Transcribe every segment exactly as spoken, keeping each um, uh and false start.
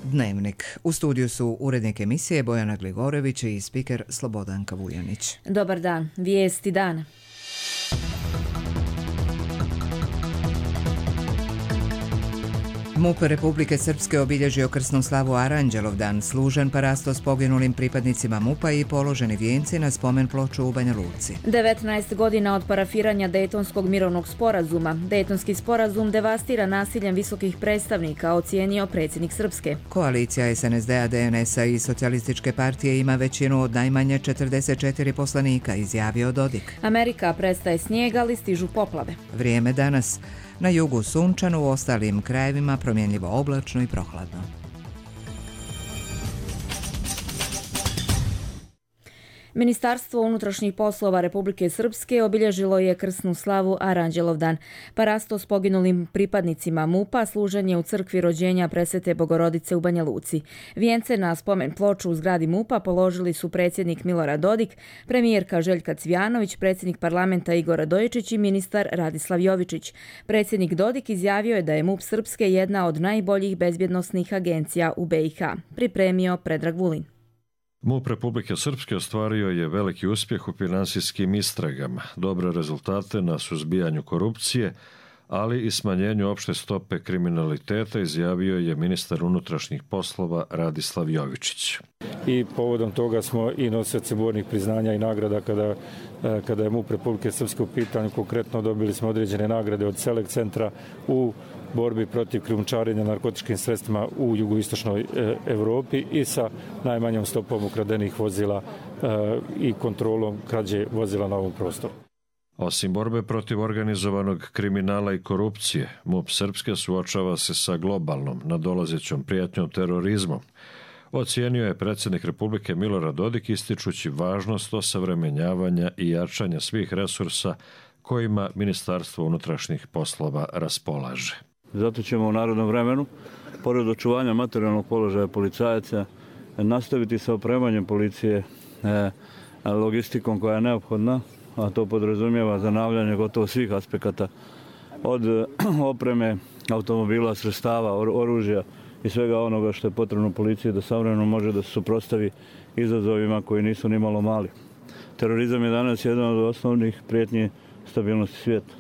Dnevnik. U studiju su urednik emisije Bojana Gligorević i spiker Slobodanka Vujanić. Dobar dan. Vijesti dana. MUP Republike Srpske obilježio krsnu slavu Aranđelovdan, služen parasto s poginulim pripadnicima MUP-a i položeni vijenci na spomen ploču u Banja Luci. devetnaest godina od parafiranja Dejtonskog mirovnog sporazuma. Dejtonski sporazum devastira nasiljem visokih predstavnika, ocijenio predsjednik Srpske. Koalicija S N S D-a, D N S-a i Socijalističke partije ima većinu od najmanje četrdeset četiri poslanika, izjavio Dodik. Amerika prestaje snijeg, ali stižu poplave. Vrijeme danas. Na jugu sunčano, u ostalim krajevima promjenljivo oblačno i prohladno. Ministarstvo unutrašnjih poslova Republike Srpske obilježilo je krsnu slavu Aranđelovdan. Parasto s poginulim pripadnicima MUP-a služen je u crkvi rođenja Presvete Bogorodice u Banja Luci. Vijence na spomen ploču u zgradi MUP-a položili su predsjednik Milorad Dodik, premijerka Željka Cvijanović, predsjednik parlamenta Igor Radojičić i ministar Radislav Jovičić. Predsjednik Dodik izjavio je da je MUP Srpske jedna od najboljih bezbjednosnih agencija u B i H. Pripremio Predrag Vulin. MUP Republike Srpske ostvario je veliki uspjeh u finansijskim istragama, dobre rezultate na suzbijanju korupcije, ali i smanjenju opšte stope kriminaliteta, izjavio je ministar unutrašnjih poslova Radislav Jovičić. I povodom toga smo i nosioci bornih priznanja i nagrada kada, kada je MUP Republike Srpske u pitanju. Konkretno dobili smo određene nagrade od Select centra u borbi protiv krijumčarenja narkotičkim sredstvima u jugoistočnoj Europi i sa najmanjom stopom ukradenih vozila i kontrolom krađe vozila na ovom prostoru. Osim borbe protiv organizovanog kriminala i korupcije, MUP Srpske suočava se sa globalnom nadolazećom prijetnjom terorizmom, ocijenio je predsjednik Republike Milorad Dodik, ističući važnost osavremenjavanja i jačanja svih resursa kojima Ministarstvo unutrašnjih poslova raspolaže. Zato ćemo u narodnom vremenu, pored očuvanja materijalnog položaja policajaca, nastaviti sa opremanjem policije logistikom koja je neophodna, a to podrazumijeva zanavljanje gotovo svih aspekata, od opreme, automobila, sredstava, oružja i svega onoga što je potrebno policiji da savremeno može da se suprotstavi izazovima koji nisu ni malo mali. Terorizam je danas jedan od osnovnih prijetnji stabilnosti svijeta.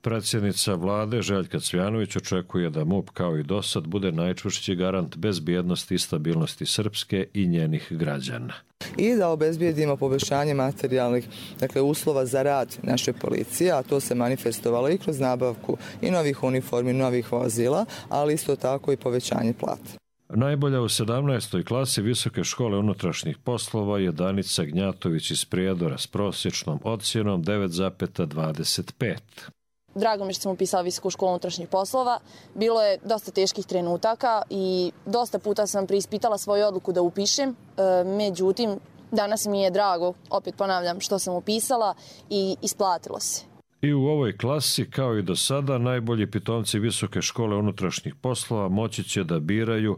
Predsjednica vlade Željka Cvijanović očekuje da MUP kao i dosad bude najčvršći garant bezbjednosti i stabilnosti Srpske i njenih građana. I da obezbijedimo poboljšanje materijalnih, dakle, uslova za rad naše policije, a to se manifestovalo i kroz nabavku i novih uniformi, novih vozila, ali isto tako i povećanje plata. Najbolja u sedamnaestoj klasi Visoke škole unutrašnjih poslova je Danica Gnjatović iz Prijedora s prosječnom ocjenom devet zarez dvadeset pet. Drago mi što sam upisala Visoku školu unutrašnjih poslova. Bilo je dosta teških trenutaka i dosta puta sam preispitala svoju odluku da upišem. Međutim, danas mi je drago, opet ponavljam, što sam upisala i isplatilo se. I u ovoj klasi, kao i do sada, najbolji pitomci Visoke škole unutrašnjih poslova moći će da biraju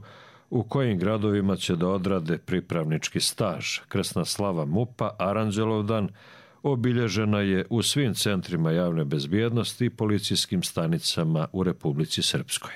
u kojim gradovima će da odrade pripravnički staž. Krsna slava MUP-a Aranđelovdan obilježena je u svim centrima javne bezbjednosti i policijskim stanicama u Republici Srpskoj.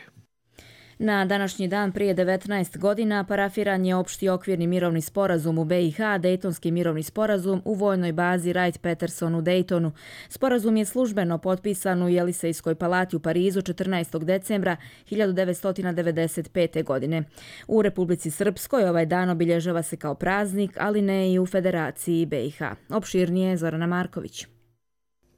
Na današnji dan prije devetnaest godina parafiran je opšti okvirni mirovni sporazum u B i H, Dejtonski mirovni sporazum u vojnoj bazi Wright-Patterson u Dejtonu. Sporazum je službeno potpisan u Jelisejskoj palati u Parizu četrnaestog decembra hiljadu devetsto devedeset pete. godine. U Republici Srpskoj ovaj dan obilježava se kao praznik, ali ne i u Federaciji B i H. Opširnije Zorana Marković.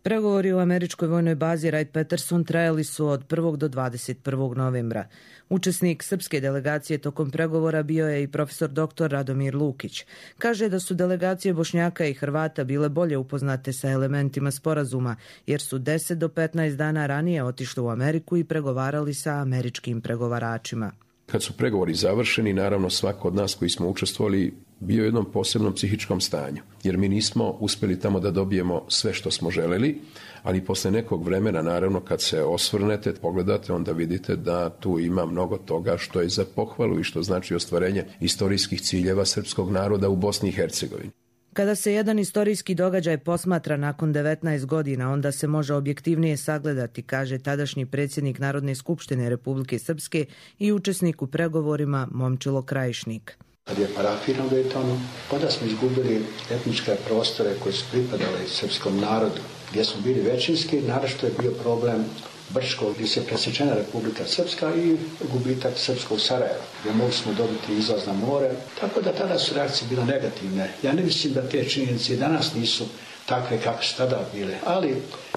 Pregovori u američkoj vojnoj bazi Wright-Patterson trajali su od prvog do dvadeset prvog novembra. Učesnik srpske delegacije tokom pregovora bio je i profesor doktor Radomir Lukić. Kaže da su delegacije Bošnjaka i Hrvata bile bolje upoznate sa elementima sporazuma, jer su deset do petnaest dana ranije otišli u Ameriku i pregovarali sa američkim pregovaračima. Kad su pregovori završeni, naravno svako od nas koji smo učestvovali bio u jednom posebnom psihičkom stanju, jer mi nismo uspjeli tamo da dobijemo sve što smo želeli, ali posle nekog vremena, naravno, kad se osvrnete, pogledate, onda vidite da tu ima mnogo toga što je za pohvalu i što znači ostvarenje istorijskih ciljeva srpskog naroda u Bosni i Hercegovini. Kada se jedan istorijski događaj posmatra nakon devetnaest godina, onda se može objektivnije sagledati, kaže tadašnji predsjednik Narodne skupštine Republike Srpske i učesnik u pregovorima Momčilo Krajišnik. Kad je parafiran u Daytonu, onda smo izgubili etničke prostore koje su pripadale srpskom narodu, gdje smo bili većinski, naročito je bio problem Brčko, gdje se presječena Republika Srpska i gubitak srpskog Sarajeva, gdje mogli smo dobiti izlaz na more, tako da tada su reakcije bile negativne. Ja ne mislim da te činjenice danas nisu takve kakve su tada bile, ali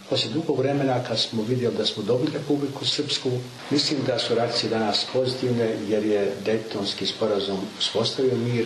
poslije dugog vremena kad smo vidjeli da smo dobili Republiku Srpsku, mislim da su reakcije danas pozitivne jer je Dejtonski sporazum uspostavio mir.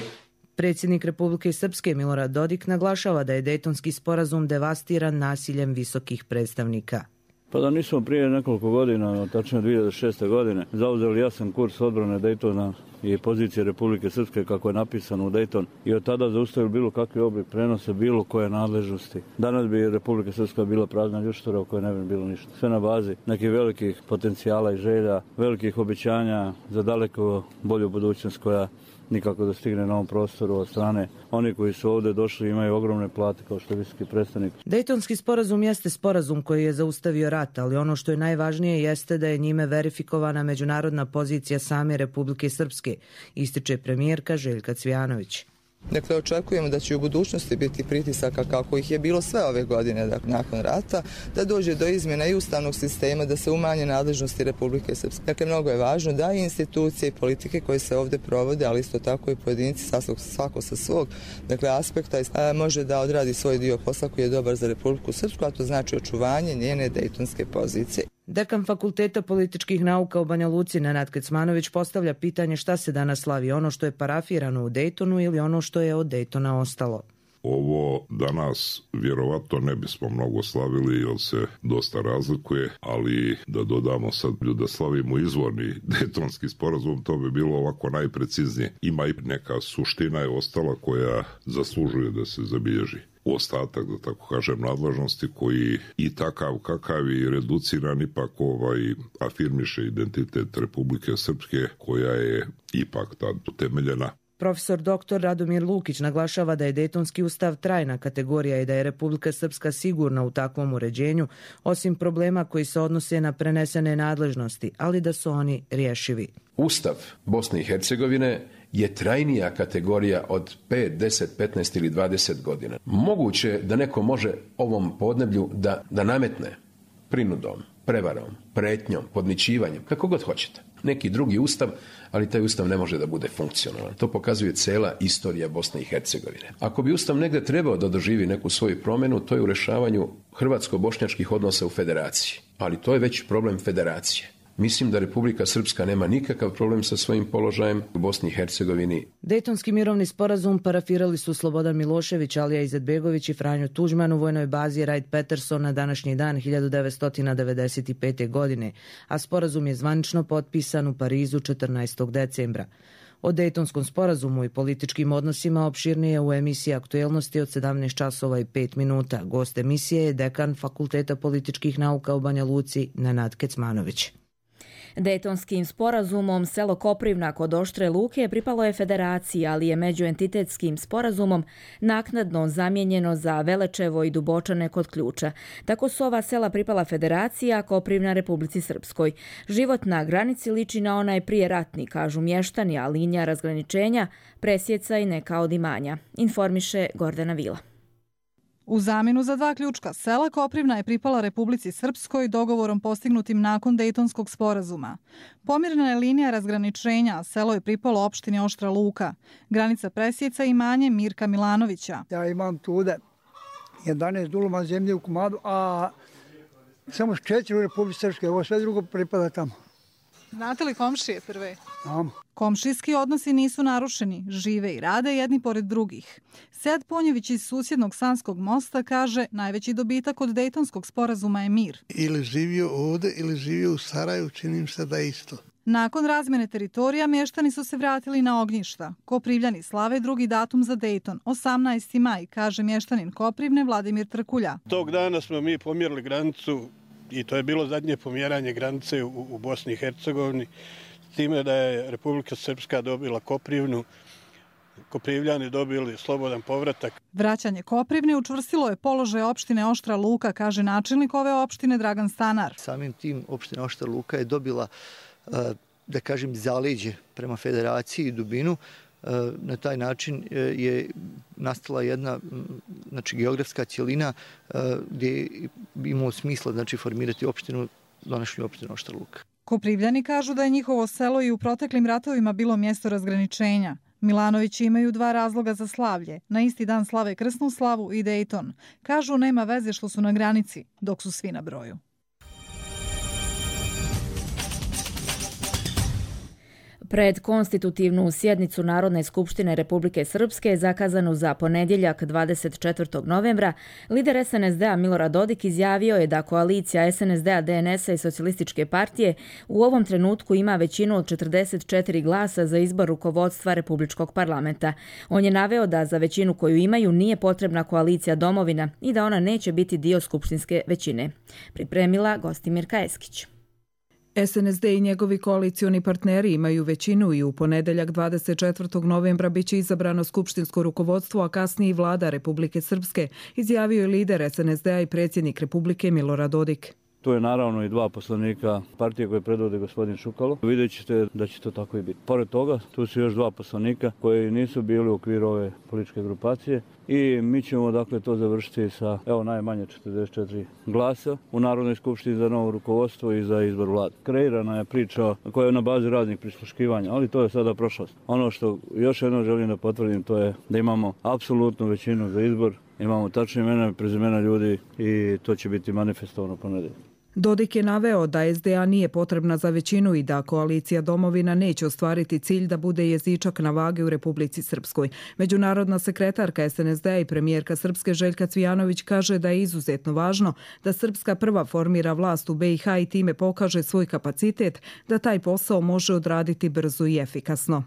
Predsjednik Republike Srpske Milorad Dodik naglašava da je Dejtonski sporazum devastiran nasiljem visokih predstavnika. Pa da nismo prije nekoliko godina, tačnije dvije hiljade šeste. godine, zauzeli jasan kurs odbrane Dejtona i pozicije Republike Srpske kako je napisano u Dejton i od tada zaustavili bilo kakvi oblik prenose bilo koje nadležnosti. Danas bi Republika Srpska bila prazna ljuštura u kojoj ne bi bilo ništa. Sve na bazi nekih velikih potencijala i želja, velikih obećanja za daleko bolju budućnost koja nikako da stigne na ovom prostoru od strane. Oni koji su ovdje došli imaju ogromne plate kao što je visoki predstavnik. Dejtonski sporazum jeste sporazum koji je zaustavio rat, ali ono što je najvažnije jeste da je njime verifikovana međunarodna pozicija same Republike Srpske, ističe premijerka Željka Cvijanović. Dakle, očekujemo da će u budućnosti biti pritisaka kako ih je bilo sve ove godine dakle, nakon rata, da dođe do izmjena i ustavnog sistema, da se umanje nadležnosti Republike Srpske. Dakle, mnogo je važno da i institucije i politike koje se ovdje provode, ali isto tako i pojedinci svako sa svog dakle, aspekta a, može da odradi svoj dio posla koji je dobar za Republiku Srpsku, a to znači očuvanje njene dejtonske pozicije. Dekan Fakulteta političkih nauka u Banja Luci Nenad Kecmanović postavlja pitanje šta se danas slavi, ono što je parafirano u Dejtonu ili ono što je od Dejtona ostalo. Ovo danas vjerovatno ne bismo mnogo slavili jer se dosta razlikuje, ali da dodamo sad da slavimo izvorni Dejtonski sporazum, to bi bilo ovako najpreciznije. Ima i neka suština je ostala koja zaslužuje da se zabilježi. Ostatak, da tako kažem, nadležnosti koji i takav kakav i reduciran ipak ovaj afirmiše identitet Republike Srpske koja je ipak tad utemeljena. Profesor doktor Radomir Lukić naglašava da je Dejtonski ustav trajna kategorija i da je Republika Srpska sigurna u takvom uređenju, osim problema koji se odnose na prenesene nadležnosti, ali da su oni rješivi. Ustav Bosne i Hercegovine je trajnija kategorija od pet, deset, petnaest ili dvadeset godina. Moguće da neko može ovom podneblju da, da nametne prinudom, prevarom, pretnjom, podmićivanjem, kako god hoćete. Neki drugi ustav, ali taj ustav ne može da bude funkcionalan. To pokazuje cela istorija Bosne i Hercegovine. Ako bi ustav negde trebao da doživi neku svoju promjenu, to je u rešavanju hrvatsko-bošnjačkih odnosa u federaciji. Ali to je već problem federacije. Mislim da Republika Srpska nema nikakav problem sa svojim položajem u Bosni i Hercegovini. Dejtonski mirovni sporazum parafirali su Slobodan Milošević, Alija Izetbegović i Franjo Tuđman u vojnoj bazi Wright-Patterson na današnji dan hiljadu devetsto devedeset pete. godine, a sporazum je zvanično potpisan u Parizu četrnaestog decembra. O Dejtonskom sporazumu i političkim odnosima opširnije u emisiji Aktuelnosti od sedamnaest časova i pet minuta. Gost emisije je dekan Fakulteta političkih nauka u Banja Luci Nenad Kecmanović. Dejtonskim sporazumom selo Koprivna kod Oštre Luke pripalo je federaciji, ali je međuentitetskim sporazumom naknadno zamijenjeno za Velečevo i Dubočane kod Ključa. Tako su ova sela pripala federaciji, a Koprivna Republici Srpskoj. Život na granici liči na onaj prije ratni, kažu mještani, a linija razgraničenja presjeca i neka od imanja. Informiše Gordana Vila. U zamjenu za dva ključka sela Koprivna je pripala Republici Srpskoj dogovorom postignutim nakon Dejtonskog sporazuma. Pomirena je linija razgraničenja, a selo je pripalo opštini Oštra Luka. Granica presjeca imanje Mirka Milanovića. Ja imam tude jedanaest duluma zemlje u komadu, a samo četiri u Republici Srpskoj, ovo sve drugo pripada tamo. Znate li komšije prve? Znam. Komšijski odnosi nisu narušeni, žive i rade jedni pored drugih. Sead Ponjević iz susjednog Sanskog mosta kaže najveći dobitak od Dejtonskog sporazuma je mir. Ili živio ovdje ili živio u Saraju, činim se da isto. Nakon razmjene teritorija mještani su se vratili na ognjišta. Koprivljani slave drugi datum za Dejton, osamnaesti maj, kaže mještanin Koprivne Vladimir Trkulja. Tog dana smo mi pomjerili granicu i to je bilo zadnje pomjeranje granice u, u Bosni i Hercegovini, s time da je Republika Srpska dobila Koprivnu Koprivljani dobili slobodan povratak. Vraćanje Koprivne učvrstilo je položaj opštine Oštra Luka, kaže načelnik ove opštine Dragan Stanar. Samim tim opština Oštra Luka je dobila, da kažem, zaleđe prema federaciji i dubinu. Na taj način je nastala jedna, znači, geografska cjelina gdje bi imalo smisla, znači, formirati opštinu, današnju opštinu Oštra Luka. Koprivljani kažu da je njihovo selo i u proteklim ratovima bilo mjesto razgraničenja. Milanovići imaju dva razloga za slavlje. Na isti dan slave krsnu slavu i Dejton. Kažu nema veze što su na granici, dok su svi na broju. Pred konstitutivnu sjednicu Narodne skupštine Republike Srpske, zakazanu za ponedjeljak dvadeset četvrtog novembra, lider es en es de a Milorad Dodik izjavio je da koalicija es en es de a, de en es a i Socijalističke partije u ovom trenutku ima većinu od četrdeset četiri glasa za izbor rukovodstva Republičkog parlamenta. On je naveo da za većinu koju imaju nije potrebna koalicija Domovina i da ona neće biti dio skupštinske većine. Pripremila Gostimirka Eskić. es en es de i njegovi koalicioni partneri imaju većinu i u ponedeljak dvadeset četvrtog novembra biće izabrano skupštinsko rukovodstvo, a kasnije i vlada Republike Srpske, izjavio je lider es en es de a i predsjednik Republike Milorad Dodik. Tu je naravno i dva poslanika partije koje predvode gospodin Šukalo. Vidjet ćete da će to tako i biti. Pored toga, tu su još dva poslanika koji nisu bili u okviru ove političke grupacije i mi ćemo dakle to završiti sa evo najmanje četrdeset četiri glasa u Narodnoj skupštini za novo rukovodstvo i za izbor vlade. Kreirana je priča koja je na bazi raznih prisluškivanja, ali to je sada prošlost. Ono što još jednom želim da potvrdim, to je da imamo apsolutnu većinu za izbor, imamo tačne imena i prezimena ljudi i to će biti manifestovano ponedeljak. Dodik je naveo da es de a nije potrebna za većinu i da koalicija Domovina neće ostvariti cilj da bude jezičak na vage u Republici Srpskoj. Međunarodna sekretarka es en es de a i premijerka Srpske Željka Cvijanović kaže da je izuzetno važno da Srpska prva formira vlast u be i ha i time pokaže svoj kapacitet da taj posao može odraditi brzo i efikasno.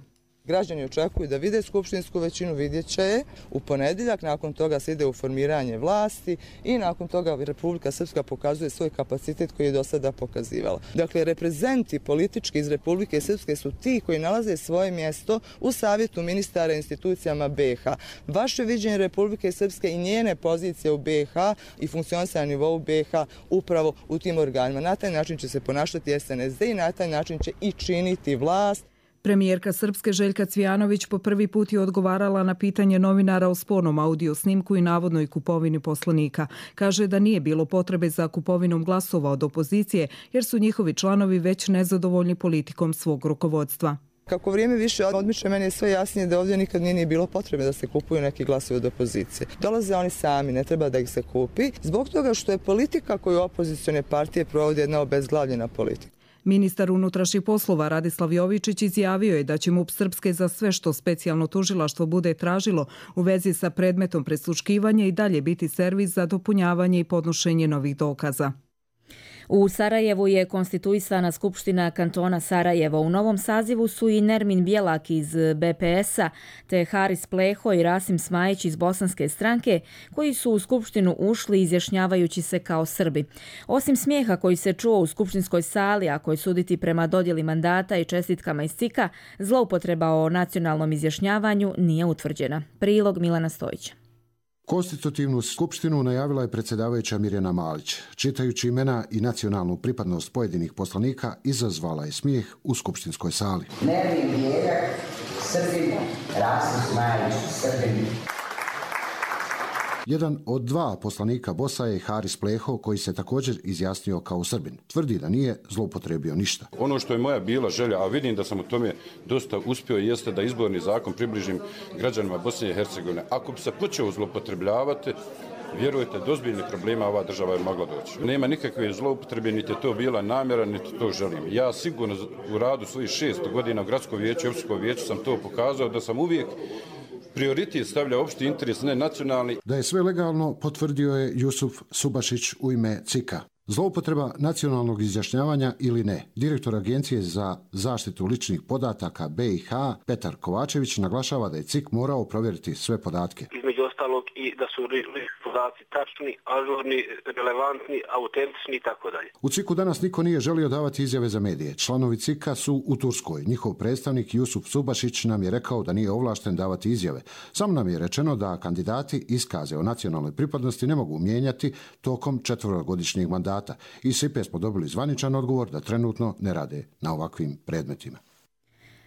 Građani očekuju da vide skupštinsku većinu, vidjet će je u ponedjeljak, nakon toga se ide u formiranje vlasti i nakon toga Republika Srpska pokazuje svoj kapacitet koji je do sada pokazivala. Dakle, reprezenti politički iz Republike Srpske su ti koji nalaze svoje mjesto u savjetu ministara i institucijama be i ha. Vaše viđenje Republike Srpske i njene pozicije u be i ha i funkcionisanje na nivou be i ha upravo u tim organima. Na taj način će se ponašati es en es de i na taj način će i činiti vlast. Premijerka Srpske Željka Cvijanović po prvi put je odgovarala na pitanje novinara o spornom audio snimku i navodnoj kupovini poslanika. Kaže da nije bilo potrebe za kupovinom glasova od opozicije jer su njihovi članovi već nezadovoljni politikom svog rukovodstva. Kako vrijeme više odmiče, meni je sve jasnije da ovdje nikad nije bilo potrebe da se kupuju neki glasovi od opozicije. Dolaze oni sami, ne treba da ih se kupi, zbog toga što je politika koju opozicione partije provodi jedna obezglavljena politika. Ministar unutrašnjih poslova Radislav Jovičić izjavio je da će MUP Srpske za sve što specijalno tužilaštvo bude tražilo u vezi sa predmetom prisluškivanja i dalje biti servis za dopunjavanje i podnošenje novih dokaza. U Sarajevu je konstituisana Skupština kantona Sarajevo. U novom sazivu su i Nermin Bjelak iz be pe es a, te Haris Pleho i Rasim Smajić iz Bosanske stranke, koji su u Skupštinu ušli izjašnjavajući se kao Srbi. Osim smijeha koji se čuo u skupštinskoj sali, a koji suditi prema dodjeli mandata i čestitkama iz cika, zloupotreba o nacionalnom izjašnjavanju nije utvrđena. Prilog Milana Stojića. Konstitutivnu skupštinu najavila je predsjedavajuća Mirjana Malić. Čitajući imena i nacionalnu pripadnost pojedinih poslanika, izazvala je smijeh u skupštinskoj sali. Nermin Bjelak, Srbin, Rasim Smajić, Srbin. Jedan od dva poslanika Bosa je Haris Pleho, koji se također izjasnio kao Srbin. Tvrdi da nije zloupotrebio ništa. Ono što je moja bila želja, a vidim da sam u tome dosta uspio, jeste da izborni zakon približim građanima Bosne i Hercegovine. Ako bi se počeo zloupotrebljavati, vjerujete, do ozbiljnih problema ova država je mogla doći. Nema nikakve zloupotrebe, niti je to bila namjera, niti to želim. Ja sigurno u radu svojih šest godina u gradskom vijeću i općinskom vijeću sam to pokazao da sam uvijek prioritet stavlja opšti interes, ne nacionalni. Da je sve legalno, potvrdio je Jusuf Subašić u ime cika. Zloupotreba nacionalnog izjašnjavanja ili ne. Direktor Agencije za zaštitu ličnih podataka B i H Petar Kovačević naglašava da je C I K morao provjeriti sve podatke. Između ostalog i da su podaci tačni, ažurni, relevantni, autentični i tako dalje. U C I K-u danas niko nije želio davati izjave za medije. Članovi C I K-a su u Turskoj. Njihov predstavnik Jusuf Subašić nam je rekao da nije ovlašten davati izjave. Samo nam je rečeno da kandidati iskaze o nacionalnoj pripadnosti ne mogu mijenjati tokom četverogodišnjeg mandata. Iz S I P E smo dobili zvaničan odgovor da trenutno ne rade na ovakvim predmetima.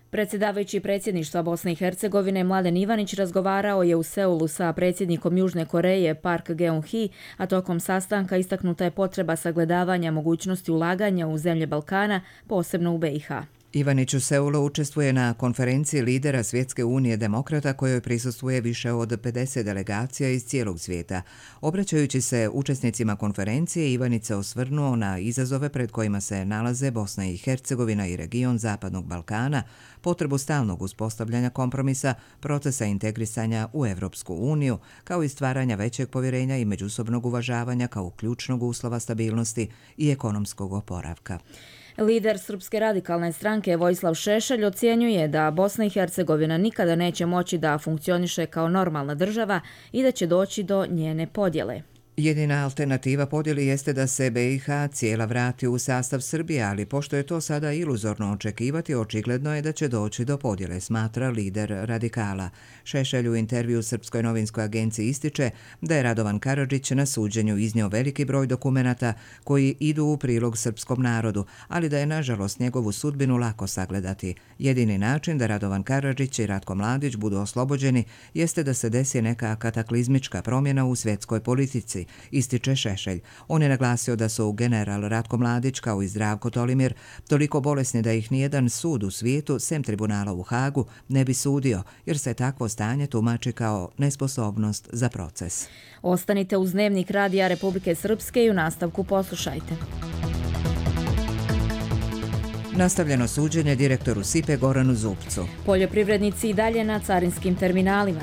Predsjedavajući predsjedništva Bosne i Hercegovine Mladen Ivanić razgovarao je u Seulu sa predsjednikom Južne Koreje Park Geun-hye, a tokom sastanka istaknuta je potreba sagledavanja mogućnosti ulaganja u zemlje Balkana, posebno u B i H. Ivanić u Seulu učestvuje na konferenciji lidera Svjetske unije demokrata kojoj prisustvuje više od pedeset delegacija iz cijelog svijeta. Obraćajući se učesnicima konferencije, Ivanić se osvrnuo na izazove pred kojima se nalaze Bosna i Hercegovina i region Zapadnog Balkana, potrebu stalnog uspostavljanja kompromisa, procesa integrisanja u Evropsku uniju, kao i stvaranja većeg povjerenja i međusobnog uvažavanja kao ključnog uslova stabilnosti i ekonomskog oporavka. Lider Srpske radikalne stranke Vojislav Šešelj ocjenjuje da Bosna i Hercegovina nikada neće moći da funkcioniše kao normalna država i da će doći do njene podjele. Jedina alternativa podjeli jeste da se B i H cijela vrati u sastav Srbije, ali pošto je to sada iluzorno očekivati, očigledno je da će doći do podjele, smatra lider radikala. Šešelj u intervju Srpskoj novinskoj agenciji ističe da je Radovan Karadžić na suđenju iznio veliki broj dokumenata koji idu u prilog srpskom narodu, ali da je nažalost njegovu sudbinu lako sagledati. Jedini način da Radovan Karadžić i Ratko Mladić budu oslobođeni jeste da se desi neka kataklizmička promjena u svjetskoj politici, ističe Šešelj. On je naglasio da su general Ratko Mladić kao i Zdravko Tolimir toliko bolesni da ih nijedan sud u svijetu, sem tribunala u Hagu, ne bi sudio, jer se takvo stanje tumači kao nesposobnost za proces. Ostanite uz Dnevnik Radija Republike Srpske i u nastavku poslušajte. Nastavljeno suđenje direktoru S I P E Goranu Zupcu. Poljoprivrednici i dalje na carinskim terminalima.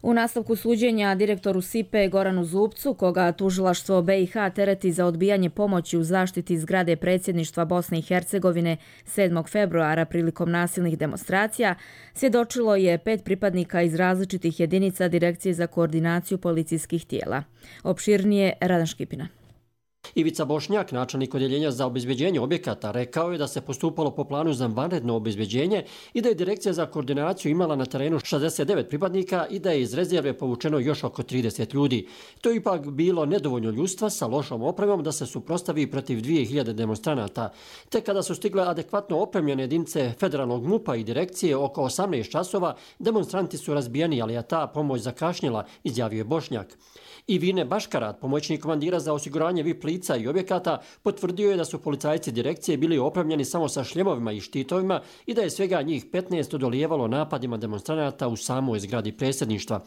U nastavku suđenja direktoru S I P E Goranu Zupcu, koga tužilaštvo B i H tereti za odbijanje pomoći u zaštiti zgrade predsjedništva Bosne i Hercegovine sedmog februara prilikom nasilnih demonstracija, svjedočilo je pet pripadnika iz različitih jedinica Direkcije za koordinaciju policijskih tijela. Opširnije Radan Škipina. Ivica Bošnjak, načelnik odjeljenja za obezbeđenje objekata, rekao je da se postupalo po planu za vanredno obezbeđenje i da je Direkcija za koordinaciju imala na terenu šezdeset devet pripadnika i da je iz rezerve povučeno još oko trideset ljudi. To je ipak bilo nedovoljno ljudstva sa lošom opremom da se suprotstavi protiv dvije hiljade demonstranata. Te kada su stigle adekvatno opremljene jedinice federalnog M U P-a i direkcije oko osamnaest časova, demonstranti su razbijeni, ali je ta pomoć zakašnjela, izjavio je Bošnjak. I Vine Baškarat, pomoćnik komandira za osiguranje V I P lica i objekata, potvrdio je da su policajci direkcije bili opremljeni samo sa šljemovima i štitovima i da je svega njih petnaest odolijevalo napadima demonstranata u samoj zgradi predsjedništva.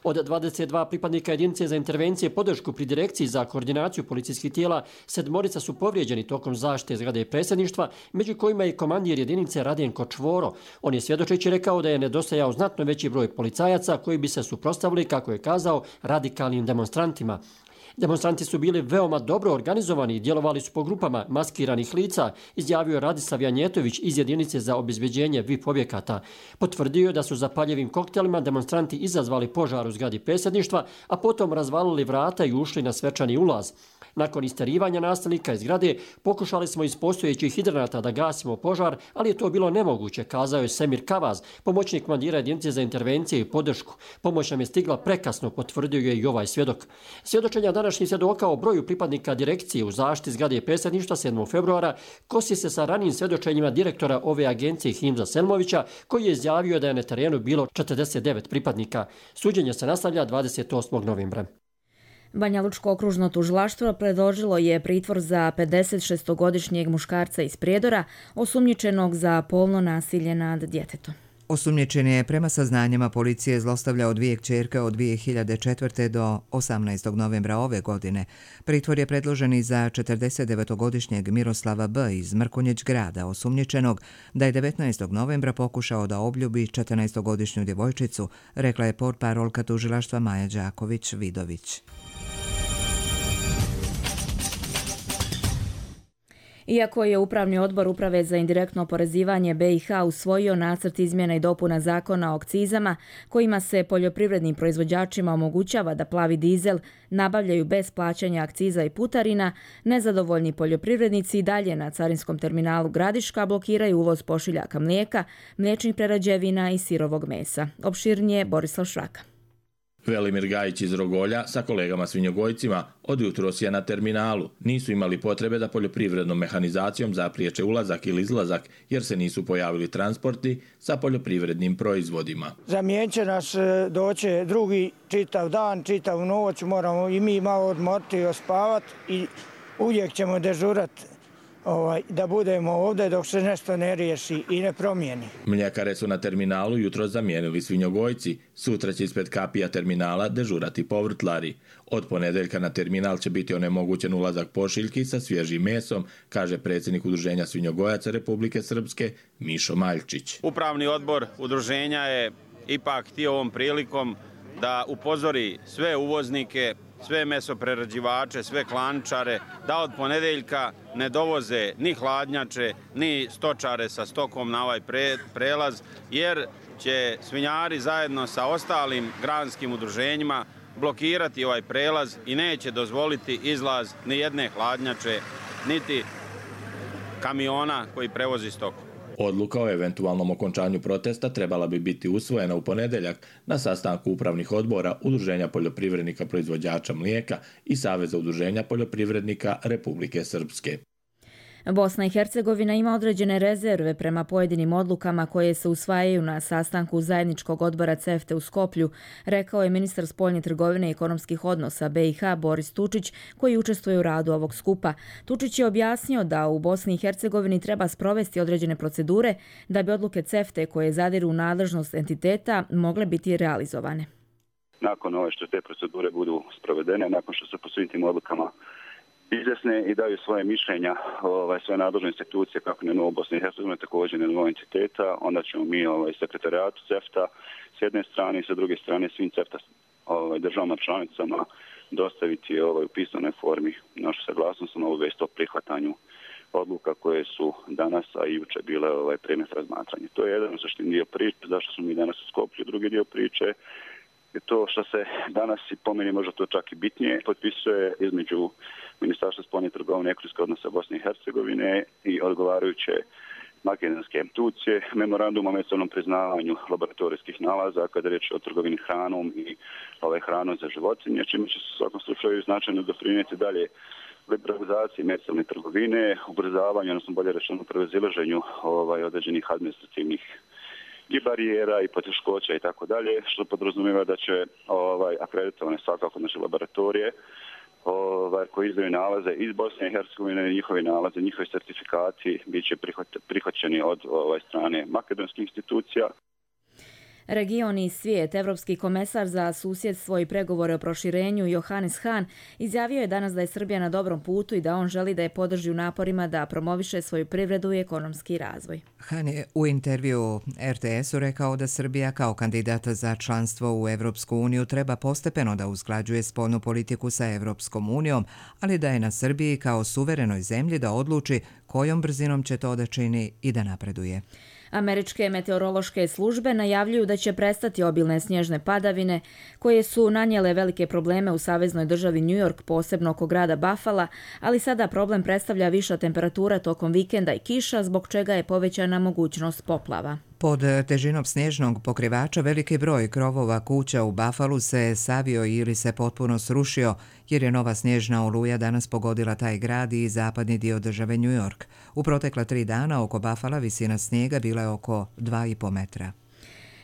Od dvadeset dva pripadnika jedinice za intervencije podršku pri Direkciji za koordinaciju policijskih tijela, sedmorica su povrijeđeni tokom zaštite zgrade predsjedništva, među kojima je komandir jedinice Radenko Čvoro. On je svjedočeći rekao da je nedostajao znatno veći broj policajaca koji bi se suprotstavili, kako je kazao, radikalnim demonstrantima. Demonstranti su bili veoma dobro organizovani i djelovali su po grupama maskiranih lica, izjavio Radislav Janjetović iz jedinice za obezbeđenje V I P objekata. Potvrdio je da su zapaljivim koktelima demonstranti izazvali požar u zgradi predsjedništva, a potom razvalili vrata i ušli na svečani ulaz. Nakon isterivanja nastavnika iz zgrade, pokušali smo iz postojećih hidranata da gasimo požar, ali je to bilo nemoguće, kazao je Semir Kavaz, pomoćnik komandira jedinice za intervencije i podršku. Pomoć nam je stigla prekasno, potvrdio je i ovaj svjedok. Svjedočenja današnjih svjedoka o broju pripadnika direkcije u zaštiti zgrade predsjedništva sedmog februara kosi se sa ranijim svjedočenjima direktora ove agencije Himza Selmovića, koji je izjavio da je na terenu bilo četrdeset devet pripadnika. Suđenje se nastavlja dvadeset osmog novembra. Banja Lučko okružno tužilaštvo predložilo je pritvor za pedesetšestogodišnjeg muškarca iz Prijedora, osumnjičenog za polno nasilje nad djetetom. Osumnjičen je prema saznanjima policije zlostavljao dvije kćerke od dvije hiljade četvrte do osamnaestog novembra ove godine. Pritvor je predložen i za četrdesetdevetogodišnjeg Miroslava B. iz Mrkonjić grada, osumnjičenog da je devetnaestog novembra pokušao da obljubi četrnaestogodišnju djevojčicu, rekla je portparolka tužilaštva Maja Đaković-Vidović. Iako je Upravni odbor Uprave za indirektno oporezivanje B i H usvojio nacrt izmjena i dopuna zakona o akcizama, kojima se poljoprivrednim proizvođačima omogućava da plavi dizel nabavljaju bez plaćanja akciza i putarina, nezadovoljni poljoprivrednici i dalje na carinskom terminalu Gradiška blokiraju uvoz pošiljaka mlijeka, mliječnih prerađevina i sirovog mesa. Opširnije Borislav Šraka. Velimir Gajić iz Rogolja sa kolegama svinjogojcima od jutros je na terminalu. Nisu imali potrebe da poljoprivrednom mehanizacijom zapriječe ulazak ili izlazak jer se nisu pojavili transporti sa poljoprivrednim proizvodima. Zamijenit će nas doći drugi čitav dan, čitav noć, moramo i mi malo odmoriti i ospavati i uvijek ćemo dežurati Ovaj, da budemo ovdje dok se nešto ne riješi i ne promijeni. Mljekare su na terminalu jutro zamijenili svinjogojci. Sutra će ispred kapija terminala dežurati povrtlari. Od ponedeljka na terminal će biti onemogućen ulazak pošiljki sa svježim mesom, kaže predsjednik Udruženja svinjogojaca Republike Srpske Mišo Maljčić. Upravni odbor udruženja je ipak htio ovom prilikom da upozori sve uvoznike, sve mesoprerađivače, sve klančare, da od ponedeljka ne dovoze ni hladnjače, ni stočare sa stokom na ovaj pre, prelaz, jer će svinjari zajedno sa ostalim granskim udruženjima blokirati ovaj prelaz i neće dozvoliti izlaz ni jedne hladnjače, niti kamiona koji prevozi stoku. Odluka o eventualnom okončanju protesta trebala bi biti usvojena u ponedeljak na sastanku upravnih odbora Udruženja poljoprivrednika proizvođača mlijeka i Saveza udruženja poljoprivrednika Republike Srpske. Bosna i Hercegovina ima određene rezerve prema pojedinim odlukama koje se usvajaju na sastanku zajedničkog odbora C E F T E u Skoplju, rekao je ministar spoljne trgovine i ekonomskih odnosa B i H Boris Tučić, koji učestvuje u radu ovog skupa. Tučić je objasnio da u Bosni i Hercegovini treba sprovesti određene procedure da bi odluke C E F T E koje zadiru u nadležnost entiteta mogle biti realizovane. Nakon ove što te procedure budu sprovedene, nakon što se po svim tim odlukama izjasne i daju svoje mišljenja, ovaj, svoje nadležne institucije, kako na nivou Bosne i Hercegovine, također na nivou entiteta, onda ćemo mi ovaj, sekretarijatu C E F T A s jedne strane i sa druge strane svim C E F T A ovaj, državama članicama dostaviti ovaj, u pisanoj formi našu saglasnost na obavijest o prihvatanju odluka koje su danas, a i juče bile ovaj, predmet razmatranja. To je jedan zaštitni dio priče, zašto smo mi danas u Skoplju. Drugi dio priče je to što se danas, i po meni možda to čak i bitnije, potpisuje između Ministarstva spoljne trgovine i ekonomskih odnosa Bosne i Hercegovine i odgovarajuće makedonske institucije, memorandum o međusobnom priznavanju laboratorijskih nalaza kada je riječ o trgovini hranom i ovaj, hranom za životinje, čime će se u svakom slučaju značajno doprinijeti dalje liberalizaciji međusobne trgovine, ubrzavanju, odnosno bolje rečeno prevazilaženju ovaj, određenih administrativnih i barijera i poteškoća i tako dalje, što podrazumijeva da će ovaj, akreditovane svakako naše laboratorije ovaj, koji izdaju nalaze iz Bosne i Hercegovine, njihovi nalaze, njihovi certifikati bit će prihvaćeni od ovaj, strane makedonskih institucija. Region i svijet, Evropski komesar za susjedstvo i pregovore o proširenju Johannes Hahn izjavio je danas da je Srbija na dobrom putu i da on želi da je podrži u naporima da promoviše svoju privredu i ekonomski razvoj. Hahn je u intervju R T S-u rekao da Srbija kao kandidata za članstvo u Evropsku uniju treba postepeno da usklađuje spoljnu politiku sa Evropskom unijom, ali da je na Srbiji kao suverenoj zemlji da odluči kojom brzinom će to da čini i da napreduje. Američke meteorološke službe najavljuju da će prestati obilne snježne padavine koje su nanijele velike probleme u saveznoj državi New York, posebno oko grada Buffalo, ali sada problem predstavlja viša temperatura tokom vikenda i kiša, zbog čega je povećana mogućnost poplava. Pod težinom snježnog pokrivača veliki broj krovova kuća u Buffalu se savio ili se potpuno srušio, jer je nova snježna oluja danas pogodila taj grad i zapadni dio države New York. U protekla tri dana oko Buffala visina snijega bila je oko dva i po metra.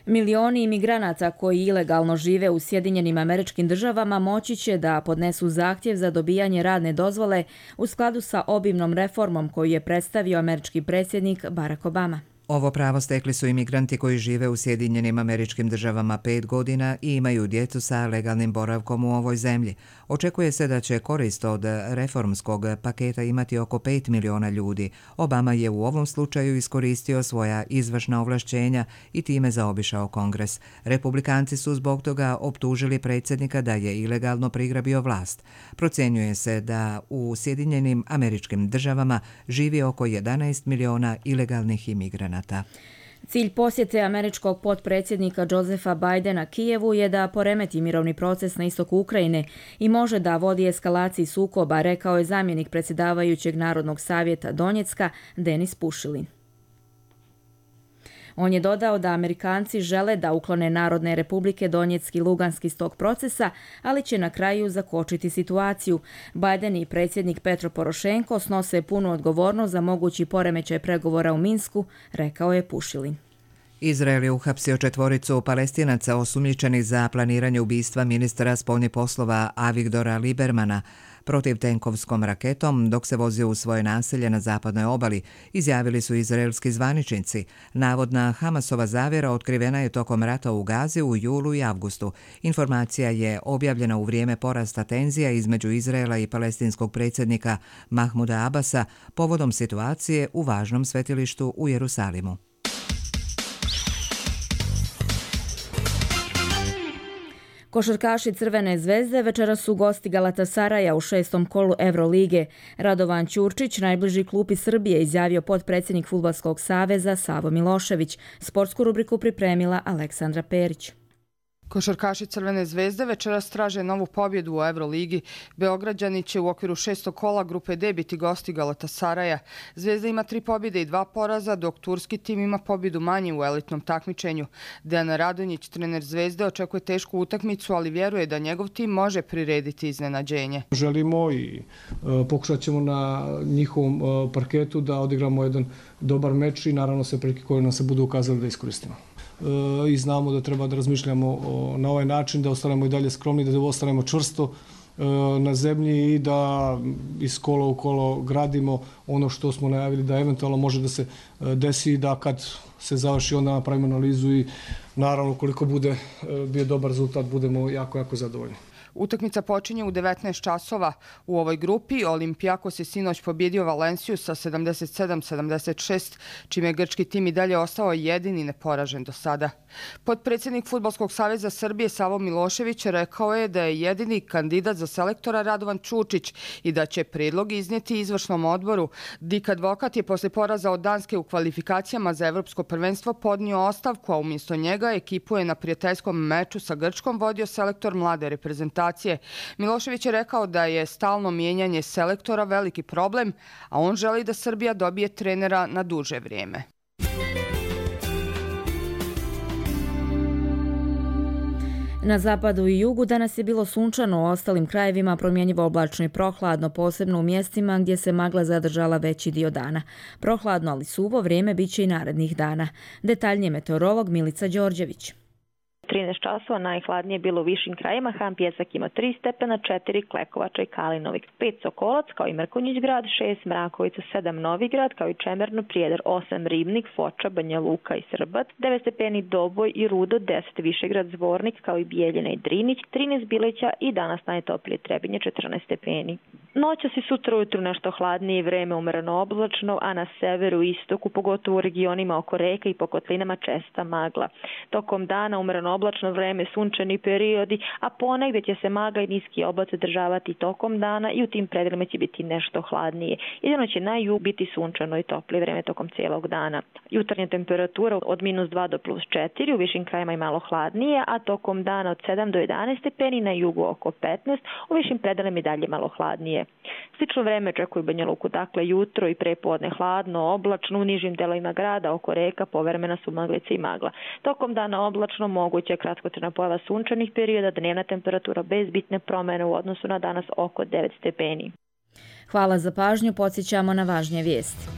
Milioni imigranata koji ilegalno žive u Sjedinjenim Američkim Državama moći će da podnesu zahtjev za dobijanje radne dozvole u skladu sa obimnom reformom koju je predstavio američki predsjednik Barack Obama. Ovo pravo stekli su imigranti koji žive u Sjedinjenim Američkim Državama pet godina i imaju djecu sa legalnim boravkom u ovoj zemlji. Očekuje se da će korist od reformskog paketa imati oko pet miliona ljudi. Obama je u ovom slučaju iskoristio svoja izvršna ovlašćenja i time zaobišao Kongres. Republikanci su zbog toga optužili predsjednika da je ilegalno prigrabio vlast. Procjenjuje se da u Sjedinjenim Američkim Državama živi oko jedanaest miliona ilegalnih imigranata. Cilj posjete američkog potpredsjednika Josepha Bidena Kijevu je da poremeti mirovni proces na istoku Ukrajine i može da vodi eskalaciji sukoba, rekao je zamjenik predsjedavajućeg Narodnog savjeta Donjecka Denis Pušilin. On je dodao da Amerikanci žele da uklone Narodne republike Donjecki i Luganski iz tog procesa, ali će na kraju zakočiti situaciju. Biden i predsjednik Petro Porošenko snose punu odgovornost za mogući poremećaj pregovora u Minsku, rekao je Pušilin. Izrael je uhapsio četvoricu Palestinaca osumnjičenih za planiranje ubistva ministra spoljnih poslova Avigdora Libermana protivtenkovskom raketom dok se vozio u svoje naselje na zapadnoj obali, izjavili su izraelski zvaničnici. Navodna Hamasova zavjera otkrivena je tokom rata u Gazi u julu i avgustu. Informacija je objavljena u vrijeme porasta tenzija između Izraela i palestinskog predsjednika Mahmuda Abasa povodom situacije u važnom svetilištu u Jerusalimu. Košarkaši Crvene zvezde večeras su gosti Galatasaraja u šestom kolu Evrolige. Radovan Ćurčić, najbliži klupi Srbije, izjavio potpredsjednik Fudbalskog saveza Savo Milošević. Sportsku rubriku pripremila Aleksandra Perić. Košarkaši Crvene zvezde večeras traže novu pobjedu u Evroligi. Beograđani će u okviru šestog kola grupe D biti gosti Galatasaraja. Zvezda ima tri pobjede i dva poraza, dok turski tim ima pobjedu manje u elitnom takmičenju. Dejan Radonjić, trener Zvezde, očekuje tešku utakmicu, ali vjeruje da njegov tim može prirediti iznenađenje. Želimo i e, pokušat ćemo na njihovom e, parketu da odigramo jedan dobar meč i naravno sve prilike koje nam se budu ukazali da iskoristimo. I znamo da treba da razmišljamo na ovaj način, da ostanemo i dalje skromni, da ostanemo čvrsto na zemlji i da iz kola u kolo gradimo ono što smo najavili da eventualno može da se desi, da kad se završi onda napravimo analizu i naravno koliko bude bio dobar rezultat budemo jako, jako zadovoljni. Utakmica počinje u devetnaest časova. U ovoj grupi Olympiakos je sinoć pobjedio Valenciju sa sedamdeset sedam sedamdeset šest, čime je grčki tim i dalje ostao jedini neporažen do sada. Potpredsjednik Fudbalskog saveza Srbije Savo Milošević rekao je da je jedini kandidat za selektora Radovan Ćurčić i da će predlog iznijeti izvršnom odboru. Dik Advokat je posle poraza od Danske u kvalifikacijama za evropsko prvenstvo podnio ostavku, a umjesto njega ekipu je na prijateljskom meču sa Grčkom vodio selektor mlade reprezentacije. Milošević je rekao da je stalno mijenjanje selektora veliki problem, a on želi da Srbija dobije trenera na duže vrijeme. Na zapadu i jugu danas je bilo sunčano, u ostalim krajevima promjenjivo oblačno i prohladno, posebno u mjestima gdje se magla zadržala veći dio dana. Prohladno, ali suvo vrijeme bit će i narednih dana. Detaljnije meteorolog Milica Đorđević. trinaest časova najhladnije bilo u višim krajima. Han Pjesak ima tri stepena, četiri Klekovača i Kalinovik, pet Sokolac kao i Mrkonjić grad, šest Mrakovica, sedam Novigrad kao i Čemerno, Prijedor, osam Ribnik, Foča, Banja Luka i Srbat, devet stepeni Doboj i Rudo, deset Višegrad, Zvornik kao i Bijeljina i Drinić, trinaest Bileća i danas najtoplije Trebinje, četrnaest stepeni. Noćas i sutra ujutru nešto hladnije, vreme umereno oblačno, a na severu i istoku, pogotovo u regionima oko reka i po kotlinama česta magla. Tokom dana umereno oblačno vreme, sunčani periodi, a ponegdje će se magla i niski oblaci zadržavati tokom dana i u tim predelima će biti nešto hladnije. Jedino će na jug biti sunčano i toplije vreme tokom cijelog dana. Jutarnja temperatura od minus dva do plus četiri, u višim krajima i malo hladnije, a tokom dana od sedam do jedanaest stepeni, na jugu oko petnaest, u višim predelima i dalje malo hladnije. Slično vreme očekuju Banja Luku, dakle jutro i prepodne hladno, oblačno, u nižim delovima grada oko reka povremena su maglice i magla. Tokom dana oblačno, moguće kratkotrajna pojava sunčanih perioda, dnevna temperatura bez bitne promjene u odnosu na danas oko devet stepeni. Hvala za pažnju, podsjećamo na važnije vijesti.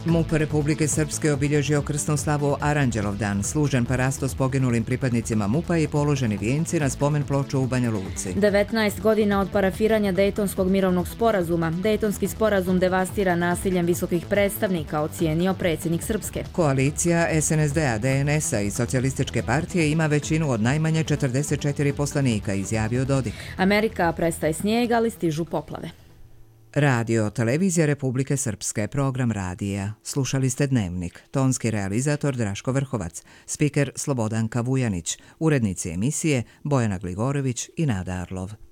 MUP Republike Srpske obilježio krsnu slavu Aranđelovdan, služen parasto s poginulim pripadnicima MUP-a i položeni vijenci na spomen ploču u Banja Luci. devetnaest godina od parafiranja Dejtonskog mirovnog sporazuma. Dejtonski sporazum devastira nasiljem visokih predstavnika, ocijenio predsjednik Srpske. Koalicija S N S D-a, D N S-a i Socijalističke partije ima većinu od najmanje četrdeset četiri poslanika, izjavio Dodik. Amerika prestaje snijeg, ali stižu poplave. Radio, televizija Republike Srpske, program radija. Slušali ste Dnevnik. Tonski realizator Draško Vrhovac, spiker Slobodanka Vujanić, urednici emisije Bojana Gligorović i Nada Arlov.